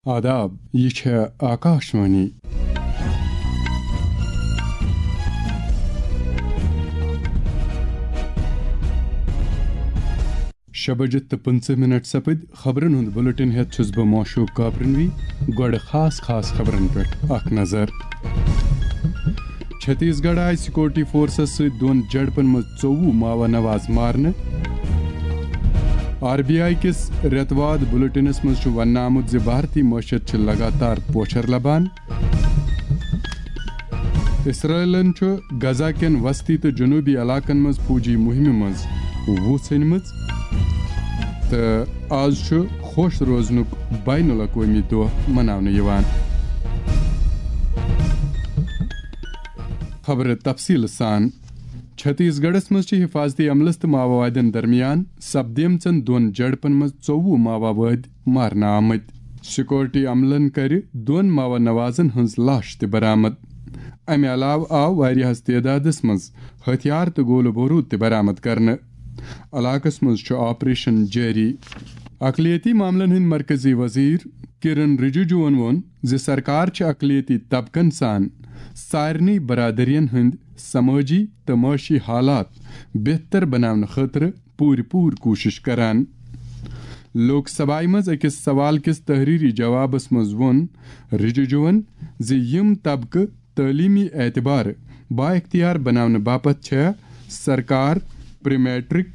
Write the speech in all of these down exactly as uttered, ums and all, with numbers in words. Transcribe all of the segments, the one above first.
آداب، یہِ چھےٚ آکاشوانی۔ شےٚ بجہِ تہٕ پٕنٛژٕہ منٹ سپٕدۍ۔ خبرن ہُنٛد بُلٹن ہٮ۪تھ چھُس بہٕ موشوق کاپرنوی۔ گۄڈٕ خاص خاص خبرن پٮ۪ٹھ اکھ نظر۔ چھتیس گڑھ آیہِ سیکورٹی فورسس سۭتۍ دۄن جھڑپن منٛز ژوٚوُہ ماوا نواز مارنہٕ۔ آر بی آئی کِس رٮ۪تہٕ واد بُلٹنس منٛز چھُ وننہٕ آمُت زِ بھارتی معیشت چھِ لگاتار پوچھر لبان۔ اسرائیلن چھُ غزہ کٮ۪ن وسطی تہٕ جنوٗبی علاقن منٛز فوجی مُہِمہِ منٛز وُژھ أنمٕژ، تہٕ آز چھُ خۄش روزنُک بین الاقوٲمی دۄہ مناونہٕ یِوان۔ خبرٕ تفصیٖل سان۔ چھتیس گڑھس منٛز چھِ حفاظتی عملس تہٕ ماووادین درمیان سپدیمژن دۄن جھڑپن منٛز ژوٚوُہ ماووٲدۍ مارنہٕ آمٕتۍ۔ سیکورٹی عملن کٔرِ دۄن ماوا نوازن ہٕنٛز لاش تہِ برآمد۔ امہِ علاوٕ آو واریاہس تعدادس منٛز ہتھیار تہٕ گولہٕ بوروٗد تہِ برآمد کرنہٕ۔ علاقس منٛز چھُ آپریشن جٲری۔ اقلیتی معاملن ہٕنٛدۍ مرکزی وزیر کرن رجیجوَن ووٚن زِ سرکار چھِ اقلیتی طبقن سان سارنٕے برادرین ہٕنٛدۍ سمٲجی تہٕ معاشی حالات بہتر بناونہٕ خٲطرٕ پوٗرٕ پوٗرٕ کوٗشش کران۔ لوک سبھایہ منٛز أکِس سوال کِس تحریری جوابس منٛز ووٚن رجیجوَن زِ یِم طبقہٕ تعلیمی اعتبارٕ بااختیار بناونہٕ باپتھ چھےٚ سرکار پری میٹرک،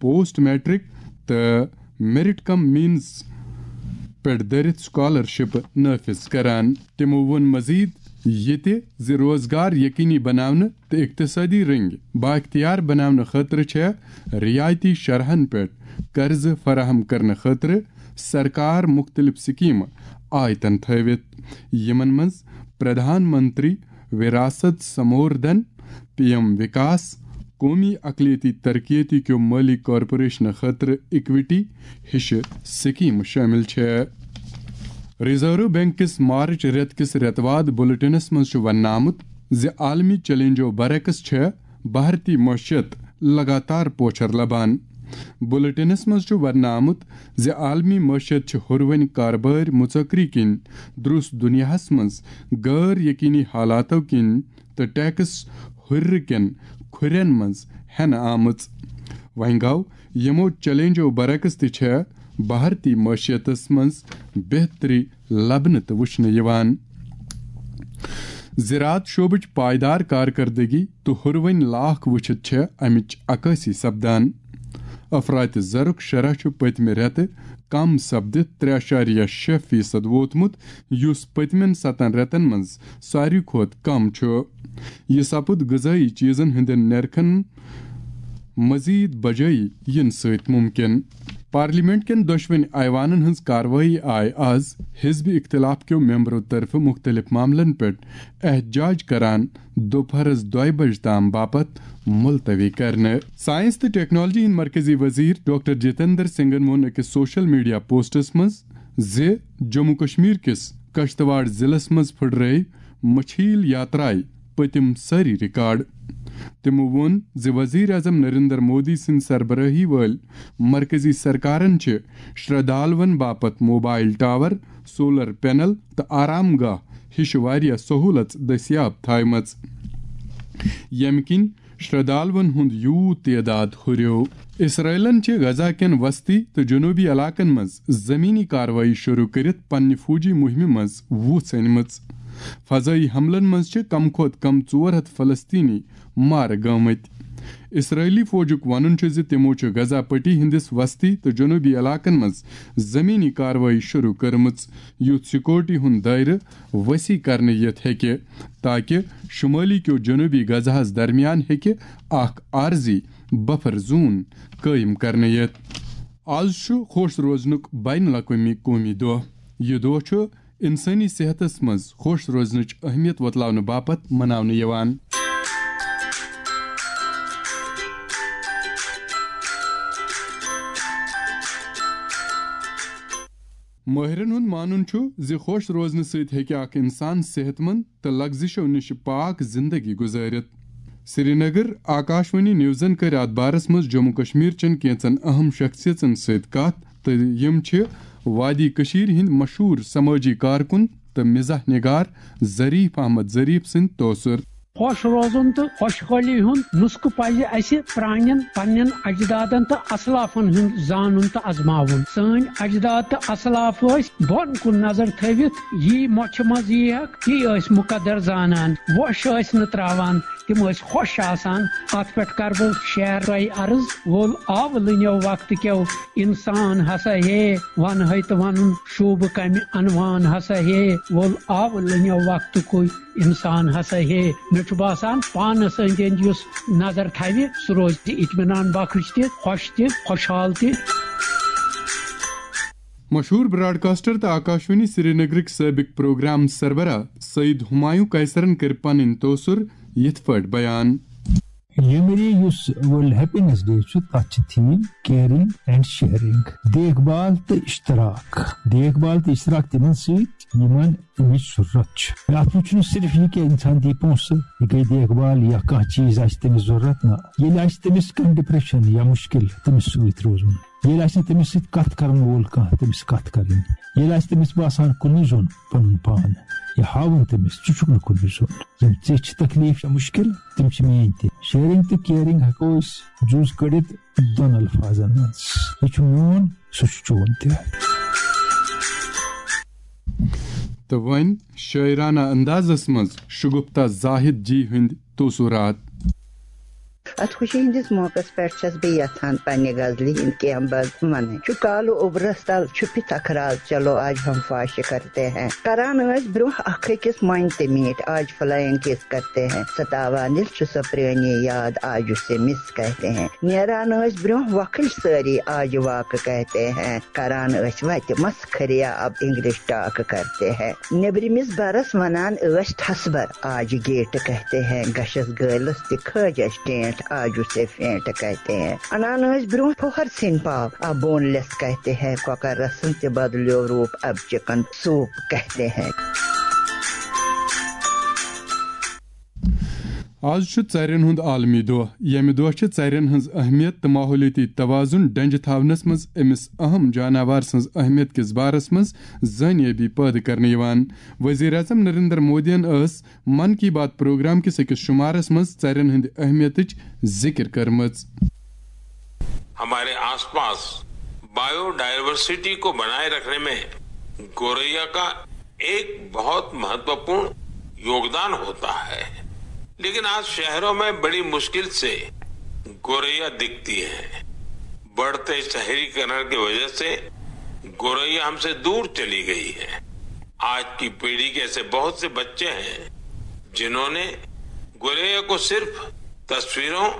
پوسٹ میٹرک تہٕ میرٹ کم مینز پٮ۪ٹھ دٔرِتھ سکالرشپ نافذ کران۔ تِمو ووٚن مزید یہِ تہِ زِ روزگار یقینی بناونہٕ تہٕ اقتصٲدی رٔنگۍ بااختیار بناونہٕ خٲطرٕ چھےٚ رعایتی شرحن پٮ۪ٹھ قرضہٕ فراہم کرنہٕ خٲطرٕ سرکار مُختٔلِف سکیمہٕ آیتن تھٲوِتھ، یِمن منٛز پردھان منتری وراست سموردھن، پی ایم وکاس، قومی اقلیتی ترقیتی کیو مٲلی کارپوریشنہٕ خٲطرٕ اکویٹی ہِشہٕ سکیمہٕ شٲمِل چھےٚ۔ ریزرو بینک کِس مارچ رٮ۪تہٕ کِس رٮ۪تہٕ واد بُلٹنس منٛز چھُ وننہٕ آمُت زِ عالمی چیلنجو برعکس چھےٚ بھارتی معیشت لگاتار پوچھر لبان۔ بُلٹنس منٛز چھُ وننہٕ آمُت زِ عالمی معیشت چھِ ہُروٕنۍ کاربٲرۍ مُژکری کِنۍ درُس دُنیاہس منٛز غٲر یقینی حالاتو کِنۍ تہٕ ٹیکس ہُرِرٕ کٮ۪ن کھُرٮ۪ن منٛز ہٮ۪نہٕ آمٕژ۔ وۄنۍ گوٚو، یِمو چیلنجو برعکس تہِ چھےٚ بھارتی معیشتس منٛز بہتری لبنہٕ تہٕ وٕچھنہٕ یِوان۔ زراعت شعبٕچ پائیدار کارکردگی تہٕ ہُروٕنۍ لاکھ وٕچھِتھ چھےٚ امِچ عکٲسی سپدان۔ افراط زرُک شرح چھُ پٔتمہِ رٮ۪تہٕ کم سپدِتھ ترٛےٚ اعشاریہ شےٚ فیصد ووتمُت، یُس پٔتمٮ۪ن ستن رٮ۪تن منٛز ساروی کھۄتہٕ کم چھُ۔ یہِ سپُد غذٲیی چیزن ہٕنٛدٮ۪ن نرخن مزید بجٲیی یِنہٕ سۭتۍ ممکن۔ پارلیمنٹ کٮ۪ن دۄشوٕنی ایوانن ہٕنٛز کاروٲیی آیہِ آز حزب اختلاف کیو ممبرو طرفہٕ مُختٔلِف معاملن پٮ۪ٹھ احتجاج کران دُپہرس دۄیہِ بجہِ تام باپتھ ملتوی کرنہٕ۔ سائنس تہٕ ٹیکنالوجی ہٕنٛدۍ مرکزی وزیر ڈاکٹر جتیندر سنگھن ووٚن أکِس سوشل میڈیا پوسٹس منٛز زِ جموں کشمیر کِس کشتواڑ ضلعس منٛز پھٕٹرٲوۍ مچھیل یاترایہِ پٔتِم سٲری ریکارڈ۔ تِمو ووٚن زِ وزیر اعظم نریندر مودی سٕنٛدِ سربرٲہی وٲلۍ مرکزی سرکارن چھِ شردھالوَن باپتھ موبائل ٹاور، سولر پینل تہٕ آرام گاہ ہِش واریاہ سہولژ دٔستیاب تھایمژ، ییٚمہِ کِنۍ شردھالوَن ہُنٛد یوٗت تعداد ہُریو۔ اسرائیلن چھِ غزہ کٮ۪ن وسطی تہٕ جنوبی علاقن منٛز زمینی کاروٲیی شروع کٔرِتھ پننہِ فوجی مُہِمہِ منٛز وُژھ أنمٕژ۔ فضٲیی حملن منٛز چھِ کم کھۄتہٕ کم ژور ہتھ فلسطینی مارٕ گٲمٕتۍ۔ اسرائیلی فوجُک وَنُن چھُ زِ تِمو چھُ غزہ پٹی ہٕنٛدِس وسطی تہٕ جنوبی علاقن منٛز زمینی کاروٲیی شروع کٔرمٕژ، یُتھ سیکورٹی ہُنٛد دٲیرٕ وسیع کرنہٕ یِتھ ہیٚکہِ، تاکہ شمٲلی کیو جنوبی غزہس درمیان ہیٚکہِ اکھ عارضی بفر زون قٲیِم کرنہٕ یِتھ۔ آز چھُ خۄش روزنُک بین الاقوٲمی قومی دۄہ۔ یہِ دۄہ چھُ انسٲنی صحتس منٛز خۄش روزنٕچ اہمیت وۄتلاونہٕ باپتھ مناونہٕ یِوان۔ مٲہرن ہُنٛد مانُن چھُ زِ خۄش روزنہٕ سۭتۍ ہیٚکہِ اکھ انسان صحت مند تہٕ لغزشو نِش پاک زندگی گُزٲرِتھ۔ سرینگر، آکاشوانی نیوزن کٔر اتھ بارس منٛز جموں کشمیر چٮ۪ن کینٛژن اہم شخصیژن سۭتۍ کتھ تہٕ یِم چھِ وادی کٔشیٖرِ ہٕنٛدۍ مشہوٗر سمٲجی کارکُن تہٕ مزاح نگار ظریف احمد ظریف سٕنٛدۍ توسر۔ خۄش روزُن تہٕ خۄشحٲلی ہُنٛد نسخہٕ پزِ اسہِ پرٛانٮ۪ن پننٮ۪ن اجدادن تہٕ اسلافن ہُنٛد زانُن تہٕ ازماوُن۔ سٲنۍ اجداد تہٕ اسلاف ٲسۍ بۄن کُن نظر تھٲوِتھ، یی مۄچھِ منٛز یی ہکھ، تی ٲسۍ مقدر زانان۔ وۄش ٲسۍ نہٕ تراوان، تِم ٲسۍ خۄش آسان۔ اتھ پٮ۪ٹھ کرٕ بہٕ شعر تۄہہِ عرض۔ وول آو لٕنیو وقتہٕ کیو، انسان ہسا ہے، ونہٕ ہے تہٕ ونُن شوٗبہٕ کمہِ عنوان ہسا ہے۔ وول آو لٕنیو وقتہٕ کُے، انسان ہسا ہے۔ مےٚ چھُ باسان، پانس أنٛدۍ أنٛدۍ یُس نظر تھاوِ، سُہ روزِ اطمینان بخش تہِ، خۄش تہِ، خۄشحال تہِ۔ مشہوٗر براڈکاسٹر تہٕ آکاشوانی سرینگرٕکۍ سٲبق پروگرام سربراہ سعید ہمایوں قیصرن کٔرۍ پنٕنۍ توسر یِتھ پٲٹھۍ بیان۔ ییٚمہِ ؤریہِ یُس World Happiness Day چھُ، تَتھ چھِ theme caring and sharing، دیکھ بھال تہٕ اشتراک۔ دیکھ بھال تہٕ اشتراک تِمن سۭتۍ، یِمن اَمِچ ضروٗرت چھِ۔ اَتھ منٛز چھُنہٕ صرف یہِ کہِ اِنسان دی پونٛسہٕ، یہِ گٔے دیکھ بھال یا کانٛہہ چیٖز آسہِ تٔمِس ضروٗرت، نہ۔ ییٚلہِ آسہِ تٔمِس کانٛہہ depression یا مُشکِل، تٔمِس سۭتۍ روزُن۔ ییٚلہِ آسہِ نہٕ تٔمِس سۭتۍ کَتھ کَرَن وول کانٛہہ، تٔمِس کَتھ کَرٕنۍ۔ ییٚلہِ آسہِ تٔمِس باسان کُنُے زوٚن پَنُن پان، یہِ ہاوُن تٔمِس، ژٕ چھُکھ نہٕ کُنُے زوٚن۔ یِم ژےٚ چھِ تکلیٖف یا مُشکِل، تِم چھِ میٛٲنۍ تہِ۔ Sharing تہٕ caring ہٮ۪کو أسۍ جُز کٔڑِتھ دۄن الفاظن منٛز۔ یہِ چھُ میون، سُہ چھُ چون تہِ۔ تہٕ وۄنۍ شٲعرانہ اندازس منٛز شگفتہ زاہد جی ہٕنٛدۍ توسرات۔ اتھ خوشی ہٕنٛدِس موقعس پٮ۪ٹھ چھَس بہٕ یژھان پننہِ غزلہِ ہٕنٛدۍ کینٛہہ بند ونٕنۍ۔ چھُ کالہٕ اوٚبرس تل، چھُ پِتھ اکھ راز، چلو آج ہم فاش کرتے ہیں۔ کران ٲسۍ برٛونٛہہ اکھ أکِس مۄنۍ تہٕ میٖٹھۍ، آج فلائنگ کس کرتے ہیں۔ ستاوان ییٚلہِ چھُ سۄ پرٛٲنی یاد، آج اسے مس کہتے ہیں۔ نیران ٲسۍ برٛونٛہہ وۄکھٕلۍ سٲری، آج واک کہتے ہیں۔ کران ٲسۍ وتہِ مسخریا، اب انگلش ٹاک کرتے ہیں۔ نیبرِمِس برس ونان ٲسۍ ٹھسبر، آج گیٹ کہتے ہیں۔ گشس گٲلس تہِ کھٲج اَسہِ ٹینٹ، آج اسے فینٹ کہتے ہیں۔ انان ٲسۍ برٛونٛہہ پھوہر سِنۍ پاو، اب بون لیس کہتے ہیں۔ کۄکر رسن تہِ بدلیو روٗپ، اب چکن سوپ کہتے ہیں۔ آز چھُ ژرٮ۪ن ہُنٛد عالمی دۄہ، ییٚمہِ دۄہ چھِ ژرٮ۪ن ہٕنٛز اہمیت تہٕ ماحولیٲتی توازن ڈنجہِ تھاونس منٛز أمِس اہم جاناوار سٕنٛز اہمیت کِس بارس منٛز زٲنیٲبی پٲدٕ کرنہٕ یِوان۔ وزیر اعظم نریندر مودیَن ٲس من کی بات پروگرام کِس أکِس شمارس منٛز ژرٮ۪ن ہٕنٛدِ اہمیتٕچ ذِکر کٔرمٕژ۔ ہمارے آس پاس بایو ڈائیورسٹی کو بنائے رکھنے میں گوریا کا ایک بہت مہتوپورن یوگدان ہوتا ہے، لیکن آج شہروں میں بڑی مشکل سے گوریا دکھتی ہے۔ بڑھتے شہریکرن کی وجہ سے گوریا ہم سے دور چلی گئی ہے۔ آج کی پیڑھی کے ایسے بہت سے بچے ہیں جنہوں نے گوریا کو صرف تصویروں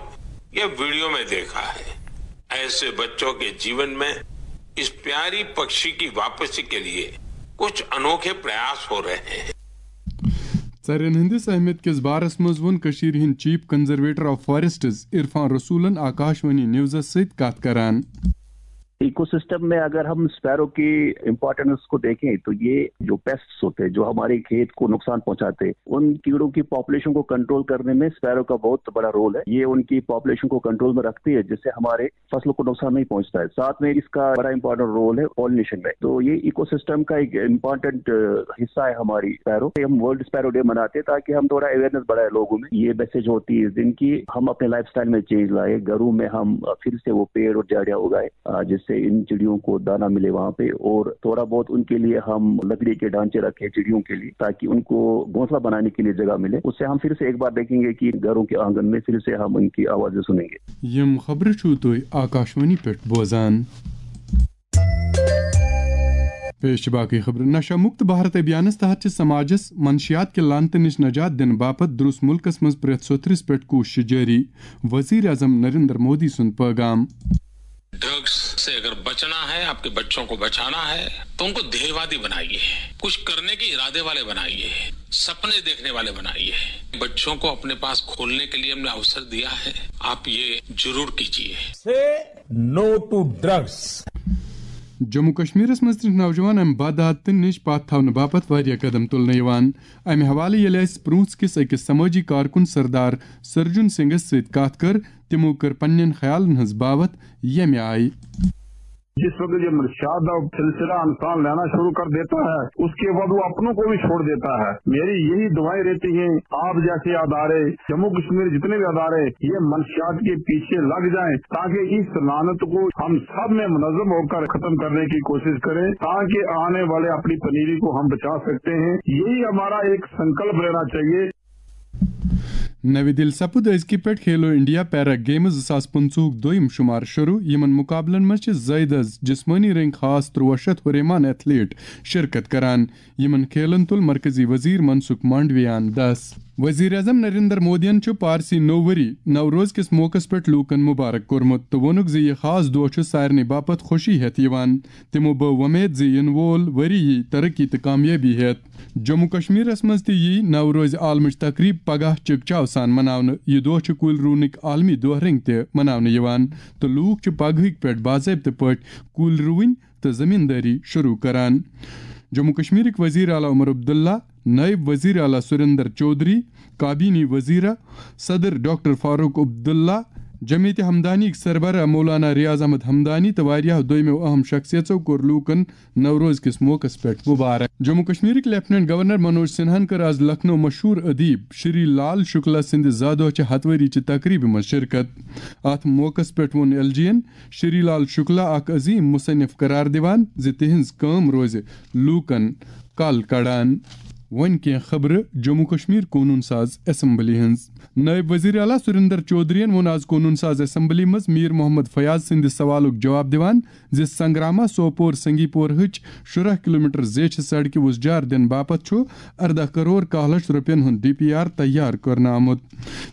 یا ویڈیو میں دیکھا ہے۔ ایسے بچوں کے जीवन में इस प्यारी पक्षी की वापसी के लिए कुछ अनोखे प्रयास हो रहे हैं। ژرٮ۪ن ہٕنٛدِس اہمیت کِس بارس منٛز ووٚن کٔشیٖرِ ہٕنٛدۍ چیف کنزرویٹر آف فاریسٹز عرفان رسولن آکاشوانی نیوزس سۭتۍ کتھ کران۔ इकोसिस्टम में अगर हम स्पैरो की इम्पोर्टेंस को देखें तो ये जो पेस्ट्स होते हैं, जो हमारे खेत को नुकसान पहुंचाते हैं, उन कीड़ों की पॉपुलेशन को कंट्रोल करने में स्पैरो का बहुत बड़ा रोल है। ये उनकी पॉपुलेशन को कंट्रोल में रखती है, जिससे हमारे फसलों को नुकसान नहीं पहुंचता है। साथ में इसका बड़ा इंपॉर्टेंट रोल है पॉलिनेशन में। तो ये इकोसिस्टम का एक इंपॉर्टेंट हिस्सा है हमारी स्पैरो। हम वर्ल्ड स्पैरो डे मनाते हैं ताकि हम थोड़ा अवेयरनेस बढ़ाए लोगों में। ये मैसेज होती है इस दिन की हम अपने लाइफस्टाइल में चेंज लाए, घरों में हम फिर से वो पेड़ और झाड़ियाँ उगाए, अ, जिससे इन चिड़ियों को दाना मिले वहाँ पे, और थोड़ा बहुत उनके लिए हम लकड़ी के ढांचे रखें चिड़ियों के लिए, ताकि उनको घोंसला बनाने के लिए जगह मिले। उससे हम फिर से एक बार देखेंगे कि घरों के आंगन में फिर से हम उनकी आवाज़ें सुनेंगे। یِم خبرٕ چھِو تُہۍ آکاشوانی پٮ۪ٹھ بوزان۔ پیش چھِ باقٕے خبرٕ۔ نشہ مکت بھارت ابھیانس تحت چھِ سماجس منشیات کہِ لعنتہٕ نِش نجات دِنہٕ باپتھ درُس مُلکس منٛز پرٛٮ۪تھ سوٚتھرِس پٮ۪ٹھ کوٗششہِ جٲری۔ وزیر اعظم نریندر مودی سُنٛد پٲغام۔ ड्रग्स से अगर बचना है, आपके बच्चों को बचाना है, तो उनको ध्येयवादी बनाइए, कुछ करने के इरादे वाले बनाइए, सपने देखने वाले बनाइए। बच्चों को अपने पास खोलने के लिए हमने अवसर दिया है, आप ये जरूर कीजिए। Say no to drugs. Jammu کشمیرس منٛز تہِ چھِ نوجوان امہِ بدعادتہٕ نِش پتھ تھاونہٕ باپتھ واریاہ قدم تُلنہٕ یِوان۔ امہِ حوالہٕ ییٚلہِ اسہِ پرونٛژھ کِس أکِس سمٲجی کارکُن سردار سرجن سنگھس سۭتۍ کتھ کٔر، تِمو کٔر پننٮ۪ن خیالن ہٕنٛز باوتھ ییٚمہِ آیہِ۔ जिस वक्त ये मनशियात का सिलसिला इंसान लेना शुरू कर देता है, उसके बाद वो अपनों को भी छोड़ देता है। मेरी यही दुआएं रहती हैं, आप जैसे अदारे, जम्मू कश्मीर जितने भी अदारे, ये मनशियात के पीछे लग जाएं, ताकि इस लानत को हम सब में मुनज़्ज़म होकर खत्म करने की कोशिश करें, ताकि आने वाले अपनी पनीरी को हम बचा सकते हैं। यही हमारा एक संकल्प रहना चाहिए। نوِ دِلہِ سپُد أزکہِ پٮ۪ٹھ کھیلو انڈیا پیرا گیمز زٕ ساس پٕنٛژٕہُک دوٚیِم شُمار شروٗع۔ یِمن مُقابلن منٛز چھِ زٲیدٕ از جسمٲنی رٔنٛگۍ خاص تُرٛواہ شیٚتھ ہُریمان ایتھلیٹ شرکت کران۔ یِمن کھیلن تُل مرکزی وزیر منسکھ مانڈویان دس۔ وزیر اعظم نریندر مودیَن چھُ پارسی نوٚو ؤری نوروز کِس موقعس پٮ۪ٹھ لوٗکن مُبارک کوٚرمُت تہٕ ووٚنُکھ زِ یہِ خاص دۄہ چھُ سارنٕے باپتھ خوشی ہٮ۪تھ یِوان۔ تِمو بٲو وۄمید زِ یِنہٕ وول ؤری یی ترقی تہٕ کامیٲبی ہٮ۪تھ۔ جموں کشمیرس منٛز تہِ یی نوروز عالمٕچ تقریب پگاہ چکچاو سان مناونہٕ۔ یہِ دۄہ چھُ کُلۍ رُونٕکۍ عالمی دۄہ رٔنٛگۍ تہِ مناونہٕ یِوان تہٕ لوٗکھ چھِ پگہٕکۍ پٮ۪ٹھ باضٲبطہٕ پٲٹھۍ کُلۍ رُوٕنۍ تہٕ زٔمیٖندٲری شروٗع کران۔ جموں کشمیرٕکۍ وزیر اعلیٰ عمر عبداللہ، نائب وزیر اعلیٰ سریندر چودھری، کابینی وزیرہ، صدر ڈاکٹر فاروق عبداللہ، جمعیت ہمدانی سربراہ مولانا ریاض احمد ہمدانی تہٕ واریاہو دوٚیمو اہم شخصیژو کوٚر لوٗکن نوروز کِس موقعس پٮ۪ٹھ مبارک۔ جموں کشمیرٕکۍ لیفٹیننٹ گورنر منوج سنہاہن کٔر از لکھنؤ مشہوٗر ادیب شری لال شکلا سٕنٛدِ زادوہ چہِ ہتھ ؤری چہِ تقریبہِ منٛز شرکت۔ اتھ موقعس پٮ۪ٹھ ووٚن ایل جی ین شری لال شکلا اکھ عظیم مصنف قرار دِوان زِ تِہنٛز کٲم روزِ لوٗکن کل کڑان۔ وۄنۍ کینٛہہ خبرٕ جموں کشمیر قونوٗن ساز اسمبلی ہٕنٛز۔ نائب وزیر اعلیٰ سریندر چودھرین ووٚن آز قونوٗن ساز اسمبلی منٛز میر محمد فیاض سٕنٛدِ سوالُک جواب دِوان زِ سنگراما سوپور سنگی پورہٕچ شُراہ کلومیٹر زیچھِ سڑکہِ وُزجار دِنہٕ باپتھ چھُ ارداہ کرور کاہ لچھ رۄپین ہُنٛد ڈی پی آر تیار کرنہٕ آمُت۔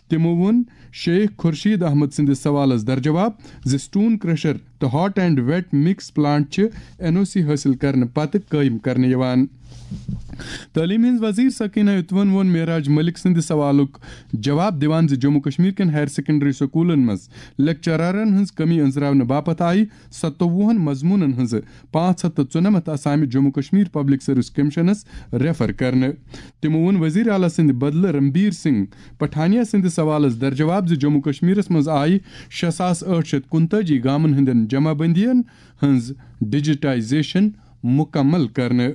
تِمو ووٚن شیخ خورشید احمد سٕنٛدِس سوالس درجواب زِ سٹون کرشر تہٕ hot and wet mix plant چھِ این او سی حٲصِل کرنہٕ پتہٕ قٲیِم کرنہٕ یِوان۔ تعلیٖم ہٕنٛز وزیر سکینہ اتوَن ووٚن معراج ملک سٕنٛدِ سوالُک جواب دِوان زِ جموں کشمیر کٮ۪ن ہایر سیکنڈری سکوٗلن منٛز لیکچرارن ہٕنٛز کمی أنٛزراونہٕ باپتھ آیہِ ستووُہن مضموٗنن ہٕنٛزٕ پانٛژھ ہتھ تہٕ ژُنَمتھ اسامہِ جموں کشمیر پبلک سروس کمشنس ریفر کرنہٕ۔ تِمو ووٚن وزیر اعلیٰ سٕنٛدِ بدلہٕ رنبیر سنگھ پٹھانیہ سٕنٛدِ سوالس درجواب زِ جموں کشمیرس منٛز آیہِ شےٚ ساس ٲٹھ شیٚتھ کُنتٲجی گامن ہٕنٛدٮ۪ن جمع بندین ہٕنٛز ڈیجیٹائزیشن مکمل کرنہٕ۔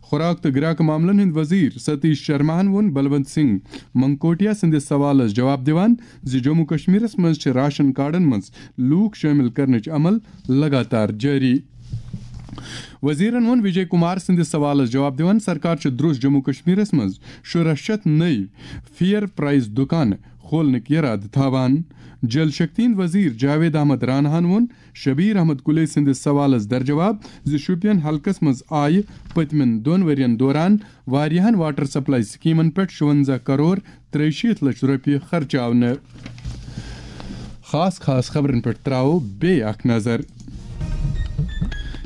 خوراک تہٕ گراکہٕ معاملن ہٕنٛدۍ وزیر ستیش شرماہن ووٚن بلونت سنگھ منگکوٹیا سٕنٛدِس سوالس جواب دِوان زِ جموں کشمیرس منٛز چھِ راشن کارڈن منٛز لوٗکھ شٲمِل کرنٕچ عمل لگاتار جٲری۔ وزیرن ووٚن وجے کمار سٕنٛدِس سوالس جواب دِوان سرکار چھِ درٛوس جموں کشمیرس منٛز شُراہ شیٚتھ نٔوۍ فیئر پرائس دُکان کھولنٕکۍ یرادٕ تھاوان۔ جل شکتی ہٕنٛدۍ وزیر جاوید احمد راناہن ووٚن شبیر احمد کُلے سٕنٛدِس سوالس درجواب زِ شوپین حلقس منٛز آیہِ پٔتمٮ۪ن دۄن ؤرین دوران واریاہن واٹر سپلائی سکیمن پٮ۪ٹھ شُونزہ کرور ترٛیہِ شیٖتھ لچھ رۄپیہِ خرچاونہٕ۔ خاص خاص خبرن پٮ۪ٹھ تراوو بیٚیہِ اکھ نظر۔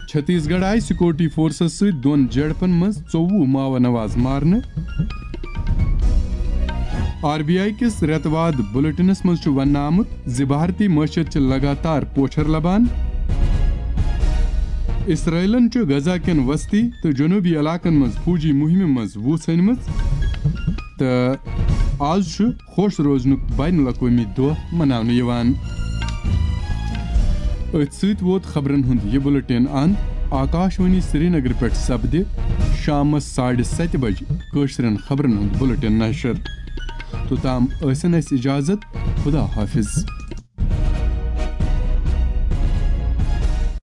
چھتیس گڑھ آیہِ سیکورٹی فورسز سۭتۍ دۄن جھڑپن منٛز ژوٚوُہ ماوٕ نواز مارنہٕ۔ آر بی آئی کِس رٮ۪تہٕ واد بلیٹنس منٛز چھُ وننہٕ آمُت زِ بھارتی معیشت چھِ لگاتار پوچھر لبان۔ اسرائیلن چھُ غزہ کٮ۪ن وسطی تہٕ جنوبی علاقن منٛز فوجی مہمہِ منٛز وُژھ أنمٕژ تہٕ آز چھُ خۄش روزنُک بین الاقوٲمی دۄہ مناونہٕ یِوان۔ أتھۍ سۭتۍ ووت خبرن ہُنٛد یہِ بُلٹن اند۔ آکاش وانی سرینگر پٮ۪ٹھ سپدِ شامس ساڑِ ستہِ بجہِ کٲشرٮ۪ن خبرن ہُنٛد بُلٹن نشر۔ توٚتام ٲسِن اَسہِ اجازت۔ خدا حافظ۔